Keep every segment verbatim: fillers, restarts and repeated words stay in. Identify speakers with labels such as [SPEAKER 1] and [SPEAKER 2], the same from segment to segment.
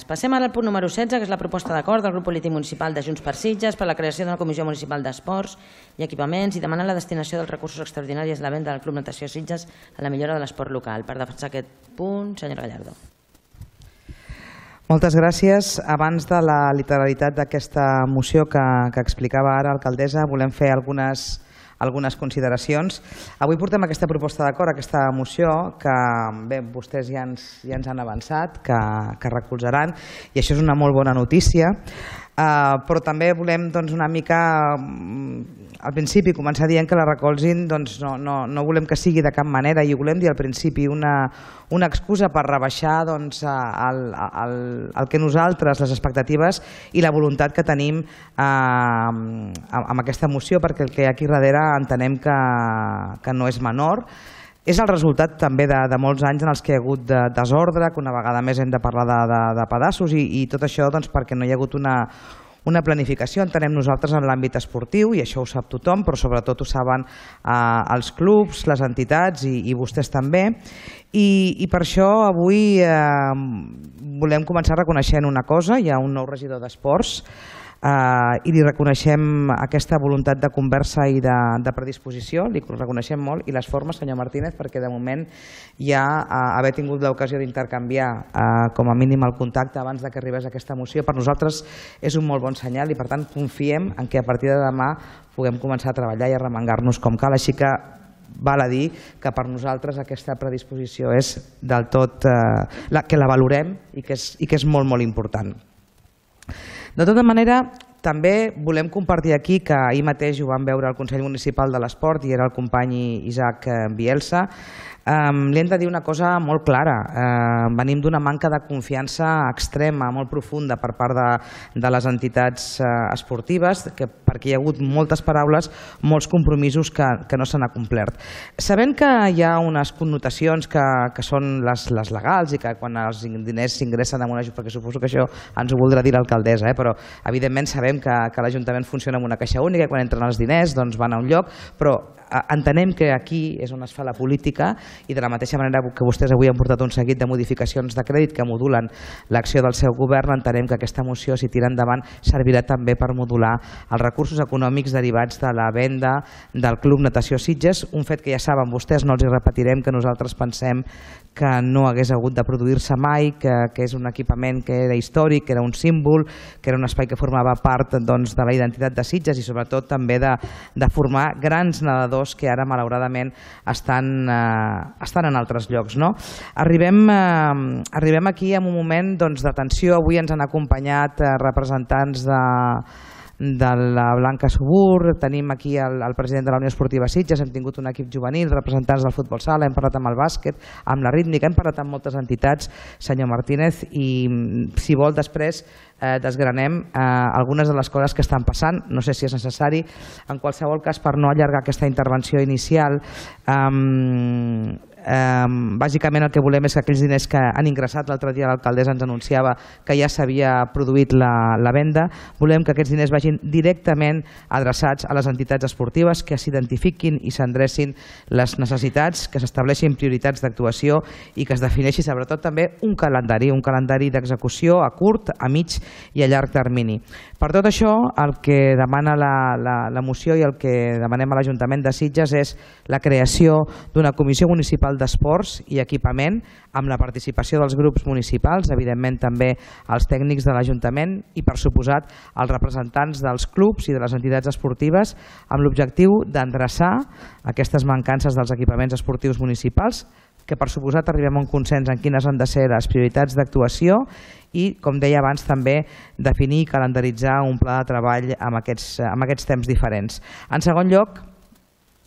[SPEAKER 1] Passem ara al punt número setze, que és la proposta d'acord del grup polític municipal de Junts per Sitges per la creació d'una comissió municipal d'esports i equipaments i demanar la destinació dels recursos extraordinaris de la venda del Club Natació Sitges a la millora de l'esport local. Per defensar aquest punt, senyora Gallardo.
[SPEAKER 2] Moltes gràcies. Abans de la literalitat d'aquesta moció que, que explicava ara l'alcaldessa, volem fer algunes, algunes consideracions. Avui portem aquesta proposta d'acord, aquesta moció, que bé, vostès ja ens, ja ens han avançat, que, que recolzaran, i això és una molt bona notícia. Uh, però també volem doncs, una mica al principi començar dient que la recolzin, doncs, no, no, no volem que sigui de cap manera, i ho volem dir al principi, una, una excusa per rebaixar doncs, el, el, el que nosaltres, les expectatives i la voluntat que tenim uh, amb aquesta moció, perquè el que hi ha aquí darrere entenem que, que no és menor. És el resultat també de, de molts anys en els que hi ha hagut de, desordre, que una vegada més hem de parlar de, de, de pedaços, i, i tot això doncs, perquè no hi ha hagut una, una planificació, entenem nosaltres, en l'àmbit esportiu, i això ho sap tothom, però sobretot ho saben eh, els clubs, les entitats i, i vostès també. I, i per això avui eh, volem començar reconeixent una cosa: hi ha un nou regidor d'esports, Uh, i li reconeixem aquesta voluntat de conversa i de, de predisposició, li reconeixem molt, i les formes, senyor Martínez, perquè de moment ja uh, haver tingut l'ocasió d'intercanviar uh, com a mínim el contacte abans de que arribés aquesta moció, per nosaltres és un molt bon senyal, i per tant confiem en que a partir de demà puguem començar a treballar i a remengar-nos com cal, així que val a dir que per nosaltres aquesta predisposició és del tot, uh, la, que la valorem i que és, i que és molt, molt important. De tota manera, també volem compartir aquí que ahir mateix ho vam veure al Consell Municipal de l'Esport i era el company Isaac Bielsa. Um, li hem de dir una cosa molt clara. Uh, venim d'una manca de confiança extrema, molt profunda per part de, de les entitats uh, esportives, que, perquè hi ha hagut moltes paraules, molts compromisos que, que no s'han acomplert. Sabent que hi ha unes connotacions que, que són les, les legals i que quan els diners s'ingressen en una... perquè suposo que això ens ho voldrà dir l'alcaldessa, eh? Però evidentment sabem que, que l'Ajuntament funciona amb una caixa única i quan entren els diners doncs van a un lloc, però entenem que aquí és on es fa la política, i de la mateixa manera que vostès avui han portat un seguit de modificacions de crèdit que modulen l'acció del seu govern, entenem que aquesta moció, si tira endavant, servirà també per modular els recursos econòmics derivats de la venda del Club Natació Sitges, un fet que ja saben vostès, no els hi repetirem, que nosaltres pensem que no hagués hagut de produir-se mai, que, que és un equipament que era històric, que era un símbol, que era un espai que formava part doncs, de la identitat de Sitges i sobretot també de, de formar grans nedadors que ara malauradament estan, eh, estan en altres llocs. No? Arribem, eh, arribem aquí en un moment doncs, de tensió. Avui ens han acompanyat eh, representants de de la Blanca Subur, tenim aquí el, el president de la Unió Esportiva Sitges, hem tingut un equip juvenil, representants del futbol sala, hem parlat amb el bàsquet, amb la rítmica, hem parlat amb moltes entitats, senyor Martínez, i si vol després eh, desgranem eh, algunes de les coses que estan passant, no sé si és necessari. En qualsevol cas, per no allargar aquesta intervenció inicial, eh, Um, bàsicament el que volem és que aquells diners que han ingressat, l'altre dia l'alcaldessa ens anunciava que ja s'havia produït la, la venda, volem que aquests diners vagin directament adreçats a les entitats esportives, que s'identifiquin i s'endrecin les necessitats, que s'estableixin prioritats d'actuació i que es defineixi sobretot també un calendari, un calendari d'execució a curt, a mig i a llarg termini. Per tot això, el que demana la, la, la moció i el que demanem a l'Ajuntament de Sitges és la creació d'una comissió municipal d'esports i equipament amb la participació dels grups municipals, evidentment també els tècnics de l'Ajuntament i, per suposat, els representants dels clubs i de les entitats esportives, amb l'objectiu d'endreçar aquestes mancances dels equipaments esportius municipals, que per suposat arribem a un consens en quines han de ser les prioritats d'actuació i, com deia abans, també definir i calendaritzar un pla de treball amb aquests, amb aquests temps diferents. En segon lloc,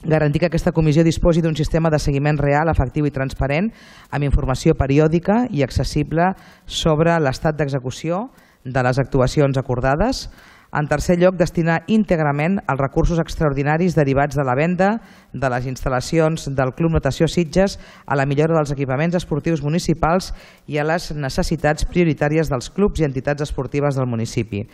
[SPEAKER 2] garantir que aquesta comissió disposi d'un sistema de seguiment real, efectiu i transparent, amb informació periòdica i accessible sobre l'estat d'execució de les actuacions acordades. En tercer lloc, destinar íntegrament els recursos extraordinaris derivats de la venda de les instal·lacions del Club Natació Sitges a la millora dels equipaments esportius municipals i a les necessitats prioritàries dels clubs i entitats esportives del municipi.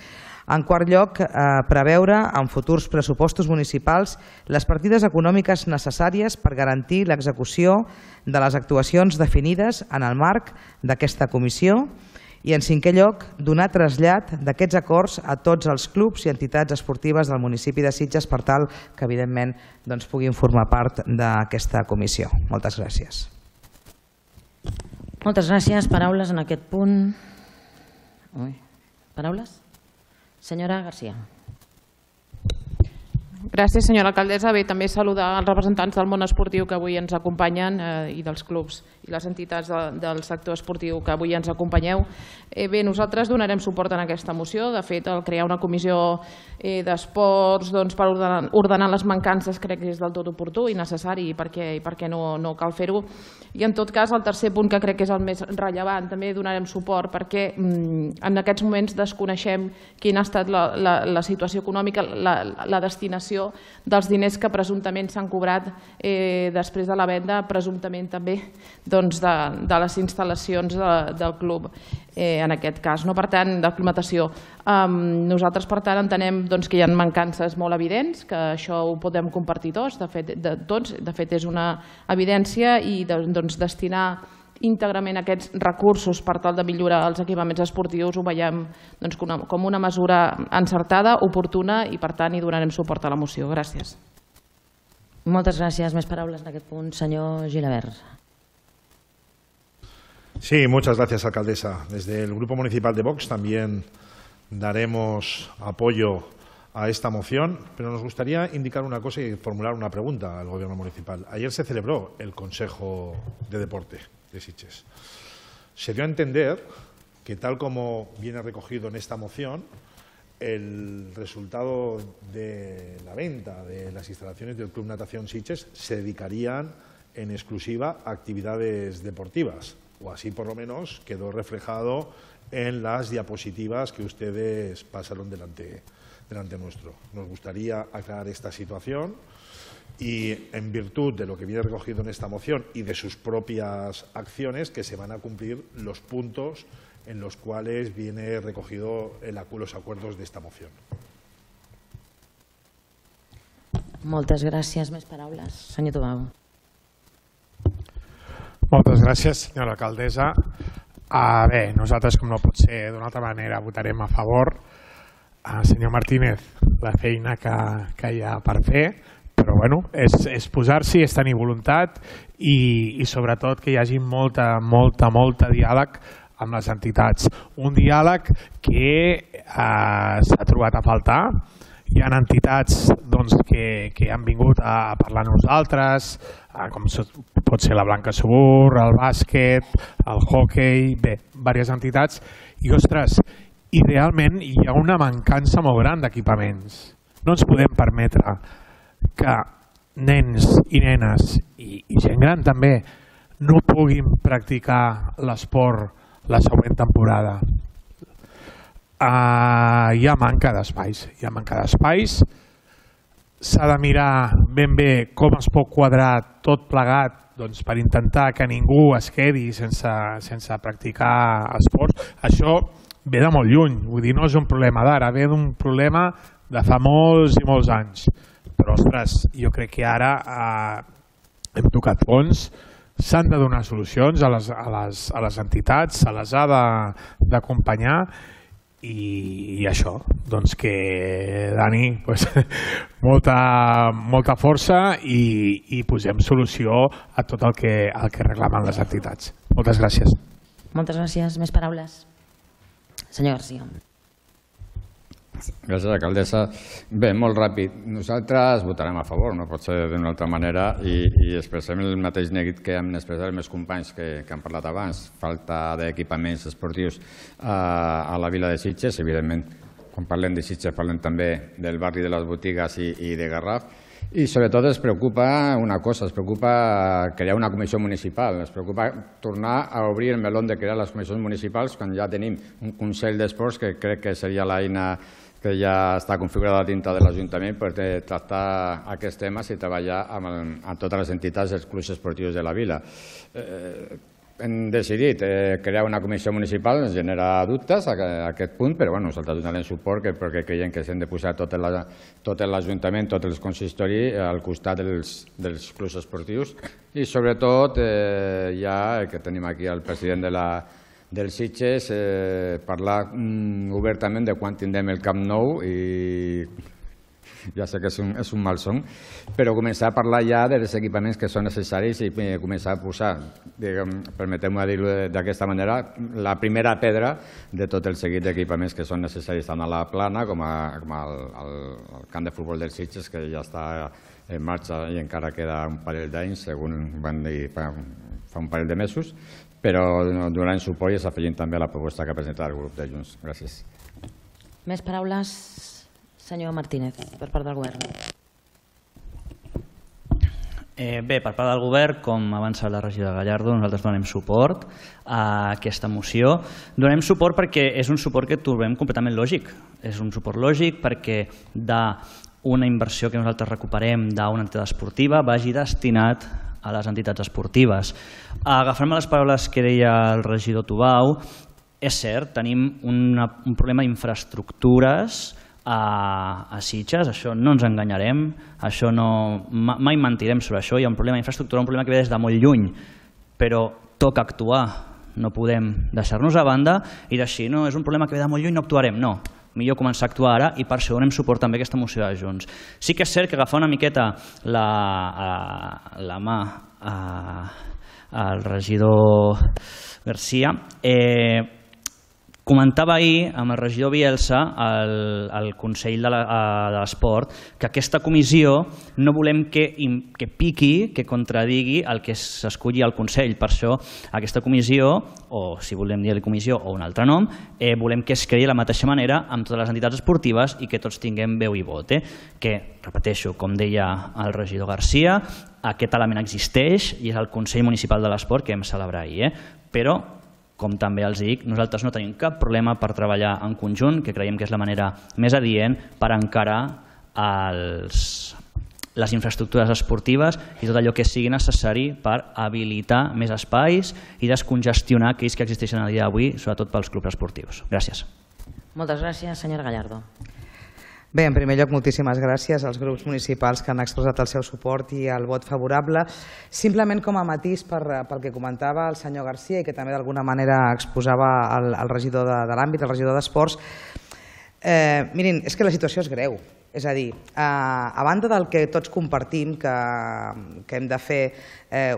[SPEAKER 2] En quart lloc, eh, preveure en futurs pressupostos municipals les partides econòmiques necessàries per garantir l'execució de les actuacions definides en el marc d'aquesta comissió. I, en cinquè lloc, donar trasllat d'aquests acords a tots els clubs i entitats esportives del municipi de Sitges per tal que, evidentment, puguin formar part d'aquesta comissió. Moltes gràcies.
[SPEAKER 1] Moltes gràcies. Paraules en aquest punt. Paraules? Senyora Garcia.
[SPEAKER 3] Gràcies, senyora alcaldessa. Bé, també saludar els representants del món esportiu que avui ens acompanyen i dels clubs i les entitats del sector esportiu que avui ens acompanyeu. Bé, nosaltres donarem suport en aquesta moció. De fet, el crear una comissió d'esports per ordenar les mancances crec que és del tot oportú i necessari i per què no cal fer-ho. I en tot cas, el tercer punt que crec que és el més rellevant, també donarem suport perquè en aquests moments desconeixem quina ha estat la situació econòmica, la destinació dels diners que presumptament s'han cobrat després de la venda, presumptament també de les instal·lacions del club, en aquest cas, per tant, d'aclimatació. Nosaltres, per tant, entenem que hi ha mancances molt evidents, que això ho podem compartir tots, de fet és una evidència, i destinar íntegrament aquests recursos per tal de millorar els equipaments esportius ho veiem com una mesura encertada, oportuna i per tant hi donarem suport a la moció. Gràcies.
[SPEAKER 1] Moltes gràcies. Més paraules en aquest punt. Senyor Gilabert.
[SPEAKER 4] Sí, muchas gracias, alcaldesa. Desde el Grupo Municipal de Vox también daremos apoyo a esta moción, pero nos gustaría indicar una cosa y formular una pregunta al Gobierno municipal. Ayer se celebró el Consejo de Deporte de Sitges. Se dio a entender que, tal como viene recogido en esta moción, el resultado de la venta de las instalaciones del Club Natación Sitges se dedicarían en exclusiva a actividades deportivas, o así por lo menos quedó reflejado en las diapositivas que ustedes pasaron delante, delante nuestro. Nos gustaría aclarar esta situación. Y en virtud de lo que viene recogido en esta moción y de sus propias acciones, que se van a cumplir los puntos en los cuales viene recogido los acuerdos de esta moción.
[SPEAKER 1] Moltes gràcies. Més paraules. Senyor Tobau.
[SPEAKER 5] Moltes gràcies, senyora alcaldessa. Bé, nosaltres, com no pot ser d'una altra manera, votarem a favor. Senyor Martínez, la feina que hi ha per fer, però bueno, és posar-s'hi, és tenir voluntat i sobretot que hi hagi molta, molta, molta diàleg amb les entitats. Un diàleg que s'ha trobat a faltar. Hi ha entitats que han vingut a parlar amb nosaltres, com pot ser la Blanca Subur, el bàsquet, el hoquei, bé, diverses entitats. I, ostres, idealment hi ha una mancança molt gran d'equipaments. No ens podem permetre que nens i nenes i gent gran també no puguin practicar l'esport la següent temporada. Hi ha manca d'espais, hi ha manca d'espais. S'ha de mirar ben bé com es pot quadrar tot plegat per intentar que ningú es quedi sense practicar esports. Això ve de molt lluny, vull dir, no és un problema d'ara, ve d'un problema de fa molts i molts anys. Però, ostres, jo crec que ara hem tocat fons, s'han de donar solucions a les entitats, se les ha d'acompanyar i això, doncs que, Dani, molta força i posem solució a tot el que reclamen les entitats. Moltes gràcies.
[SPEAKER 1] Moltes gràcies. Més paraules. Senyor Garcia.
[SPEAKER 6] Gràcies, alcaldessa. Bé, molt ràpid. Nosaltres votarem a favor, no pot ser d'una altra manera, i expressem el mateix neguit que hem expressat els meus companys que han parlat abans. Falta d'equipaments esportius a la vila de Sitges, evidentment. Quan parlem de Sitges parlem també del barri de les Botigues i de Garraf. I sobretot es preocupa una cosa, es preocupa crear una comissió municipal, es preocupa tornar a obrir el meló de crear les comissions municipals quan ja tenim un Consell d'Esports que crec que seria l'eina que ja està configurada dintre de l'Ajuntament per tractar aquests temes i treballar amb totes les entitats dels clubs esportius de la vila. Hem decidit crear una comissió municipal, ens genera dubtes a aquest punt, però nosaltres donarem suport perquè creiem que s'han de posar tot l'Ajuntament, tot el consistori al costat dels clubs esportius i sobretot ja que tenim aquí el president de dels Sitges, parlar obertament de quan tindrem el Camp Nou i ja sé que és un, és un malson, però començar a parlar ja dels equipaments que són necessaris i començar a posar, permeteu-me dir-ho d'aquesta manera, la primera pedra de tot el seguit d'equipaments que són necessaris tant a la Plana com, a, com al, al, al camp de futbol dels Sitges, que ja està en marxa i encara queda un parell d'anys, segons van dir fa, fa un parell de mesos, però donarem suport i s'afegim també a la proposta que ha presentat el grup de Junts. Gràcies.
[SPEAKER 1] Més paraules? Senyor Martínez, per part del govern.
[SPEAKER 7] Eh, bé, per part del govern, com avança la regidora Gallardo, nosaltres donem suport a aquesta moció. Donem suport perquè és un suport que trobem completament lògic. És un suport lògic perquè d'una inversió que nosaltres recuperem d'una entitat esportiva vagi destinat a les entitats esportives. Agafant-me les paraules que deia el regidor Tubau, és cert, tenim una, un problema d'infraestructures a, a Sitges, això no ens enganyarem, això no, mai mentirem sobre això, hi ha un problema d'infraestructura, un problema que ve des de molt lluny, però toca actuar, no podem deixar-nos a banda i d'així no, és un problema que ve de molt lluny, no actuarem, no. Millor començar a actuar ara i per això donem suport també a aquesta moció de Junts. Sí que és cert que agafar una miqueta la, a, la mà a, al regidor Garcia, eh, comentava ahir amb el regidor Bielsa al, al Consell de l'Esport que aquesta comissió no volem que, que piqui, que contradigui el que s'esculli al Consell. Per això aquesta comissió, o si volem dir-li comissió o un altre nom, eh, volem que es creï de la mateixa manera amb totes les entitats esportives i que tots tinguem veu i vot. Eh? Que, repeteixo, com deia el regidor Garcia, aquest element existeix i és el Consell Municipal de l'Esport que hem celebrat ahir. Eh? Però com també els dic, nosaltres no tenim cap problema per treballar en conjunt, que creiem que és la manera més adient per encarar els, les infraestructures esportives i tot allò que sigui necessari per habilitar més espais i descongestionar aquells que existeixen a dia d'avui, sobretot pels clubs esportius. Gràcies.
[SPEAKER 1] Moltes gràcies, senyora Gallardo.
[SPEAKER 2] Bé, en primer lloc, moltíssimes gràcies als grups municipals que han expressat el seu suport i el vot favorable. Simplement com a matís per, pel que comentava el senyor Garcia i que també d'alguna manera exposava el, el regidor de, de l'àmbit, el regidor d'Esports, eh, mirin, és que la situació és greu. És a dir, a banda del que tots compartim, que hem de fer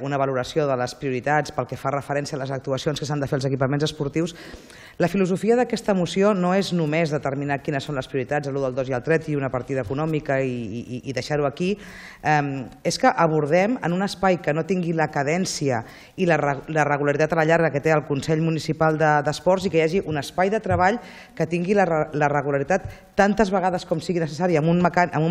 [SPEAKER 2] una valoració de les prioritats pel que fa referència a les actuacions que s'han de fer als equipaments esportius, la filosofia d'aquesta moció no és només determinar quines són les prioritats, l'u del dos i el tres i una partida econòmica i deixar-ho aquí, és que abordem en un espai que no tingui la cadència i la regularitat a la llarga que té el Consell Municipal d'Esports i que hi hagi un espai de treball que tingui la regularitat tantes vegades com sigui necessari, amb un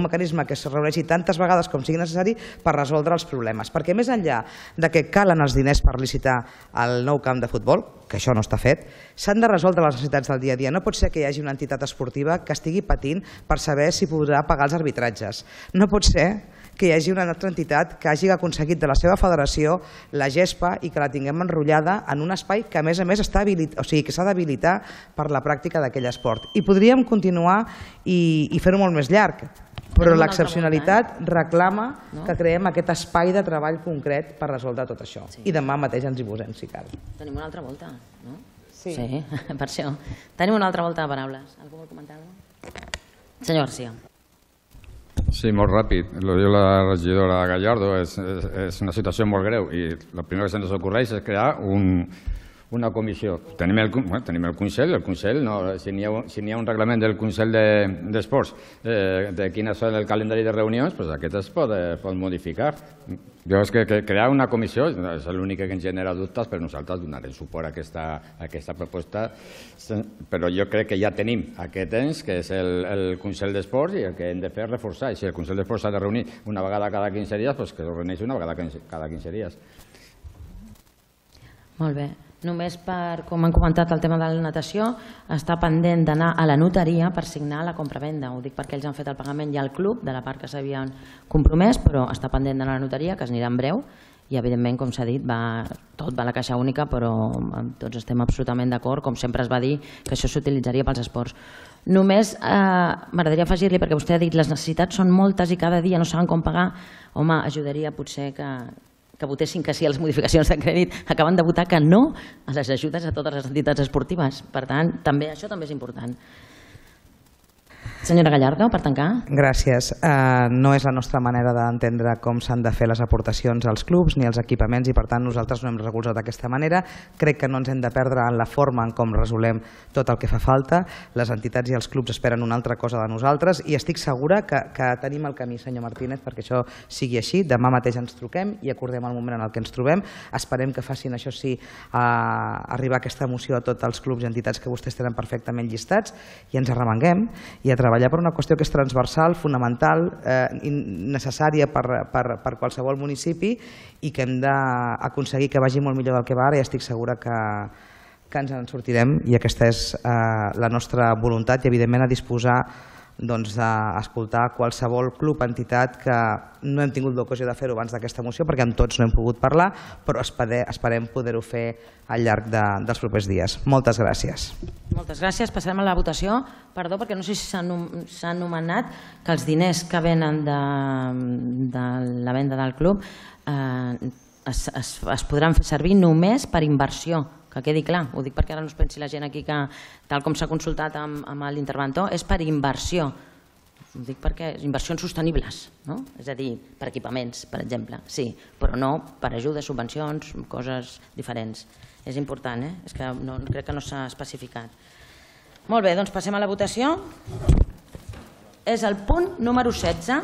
[SPEAKER 2] mecanisme que es reuneixi tantes vegades com sigui necessari per resoldre els problemes. Perquè més enllà de que calen els diners per licitar el nou camp de futbol, que això no està fet, s'han de resoldre les necessitats del dia a dia. No pot ser que hi hagi una entitat esportiva que estigui patint per saber si podrà pagar els arbitratges. No pot ser que hi hagi una altra entitat que hagi aconseguit de la seva federació la gespa i que la tinguem enrotllada en un espai que a més a més està habilitat, o sigui, que s'ha d'habilitar per la pràctica d'aquell esport. I podríem continuar i, i fer-ho molt més llarg, però l'excepcionalitat reclama que creem aquest espai de treball concret per resoldre tot això. I demà mateix ens hi posem, si cal.
[SPEAKER 1] Tenim una altra volta, no? Sí, per això. Tenim una altra volta de paraules. Algú vol comentar alguna cosa? Senyor Garcia.
[SPEAKER 6] Sí, molt ràpid. Lo diu la regidora Gallardo, és, és, és una situació molt greu i el primer que se'ns ocorreix és crear un, una comissió. Tenim el, bueno, tenim el Consell, el Consell, no, si n'hi ha, si n'hi ha un reglament del Consell d'Esports de, eh, de quines són el calendari de reunions, pues aquest es pot, eh, pot modificar. Jo és que, que crear una comissió és l'únic que ens genera dubtes, però nosaltres donarem suport a aquesta, a aquesta proposta, però jo crec que ja tenim aquest ens, que és el, el Consell d'Esports, i el que hem de fer és reforçar. I si el Consell d'Esports s'ha de reunir una vegada cada quinze dies, doncs que es reuneixi una vegada cada quinze dies.
[SPEAKER 1] Molt bé. Només per, com han comentat, el tema de la natació, està pendent d'anar a la notaria per signar la compravenda. Ho dic perquè ells han fet el pagament ja al club de la part que s'havien compromès, però està pendent d'anar a la notaria, que es anirà en breu, i evidentment, com s'ha dit, va, tot va a la caixa única, però tots estem absolutament d'acord, com sempre es va dir, que això s'utilitzaria pels esports. Només eh, m'agradaria afegir-li, perquè vostè ha dit les necessitats són moltes i cada dia no saben com pagar, home, ajudaria potser que que votessin que sí a les modificacions de crèdit, acaben de votar que no a les ajudes a totes les entitats esportives. Per tant, també això també és important. Senyora Gallardo, per tancar.
[SPEAKER 2] Gràcies. Uh, no és la nostra manera d'entendre com s'han de fer les aportacions als clubs ni als equipaments i per tant nosaltres no hem recolzat d'aquesta manera. Crec que no ens hem de perdre en la forma en com resolem tot el que fa falta. Les entitats i els clubs esperen una altra cosa de nosaltres i estic segura que, que tenim el camí, senyor Martínez, perquè això sigui així. Demà mateix ens truquem i acordem el moment en el que ens trobem. Esperem que facin, això sí, a arribar aquesta moció a tots els clubs i entitats que vostès tenen perfectament llistats i ens arremanguem i a treballar per una qüestió que és transversal, fonamental, eh, necessària per, per, per qualsevol municipi i que hem d'aconseguir que vagi molt millor del que va ara i estic segura que, que ens en sortirem i aquesta és eh, la nostra voluntat i evidentment a disposar doncs, d'escoltar qualsevol club, entitat que no hem tingut l'ocasió de fer-ho abans d'aquesta moció perquè amb tots no hem pogut parlar, però esperem, esperem poder-ho fer al llarg de, dels propers dies. Moltes gràcies.
[SPEAKER 1] Moltes gràcies. Passarem a la votació. Perdó, perquè no sé si s'ha anomenat que els diners que venen de, de la venda del club eh, es, es, es podran fer servir només per inversió. Que quedi clar, ho dic perquè ara no es pensi la gent aquí que, tal com s'ha consultat amb, amb l'interventor, és per inversió. Ho dic perquè inversions sostenibles, no? És a dir, per equipaments, per exemple, sí, però no per ajudes, subvencions, coses diferents. És important, eh? És que no, crec que no s'ha especificat. Molt bé, doncs passem a la votació. És el punt número setze,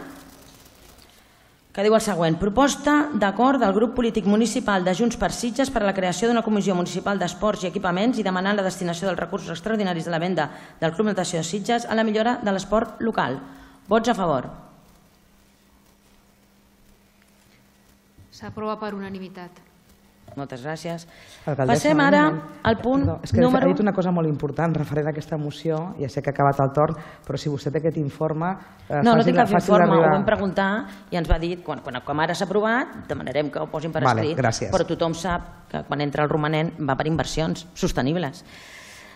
[SPEAKER 1] que diu el següent: proposta d'acord del grup polític municipal de Junts per Sitges per a la creació d'una comissió municipal d'esports i equipaments i demanant la destinació dels recursos extraordinaris de la venda del Club Natació de Sitges a la millora de l'esport local. Vots a favor.
[SPEAKER 8] S'aprova per unanimitat.
[SPEAKER 1] Moltes gràcies.
[SPEAKER 2] Alcaldessa,
[SPEAKER 1] Passem ara al punt
[SPEAKER 2] Perdó, és que
[SPEAKER 1] número...
[SPEAKER 2] ha dit una cosa molt important referent a aquesta moció, ja sé que ha acabat el torn, però si vostè té aquest informe... Eh,
[SPEAKER 1] no, no tinc cap informe, ho vam
[SPEAKER 2] arribar...
[SPEAKER 1] preguntar i ens va dir, quan, quan, com ara s'ha aprovat, demanarem que ho posin per
[SPEAKER 2] vale,
[SPEAKER 1] escrit,
[SPEAKER 2] gràcies.
[SPEAKER 1] però tothom sap que quan entra el romanent va per inversions sostenibles.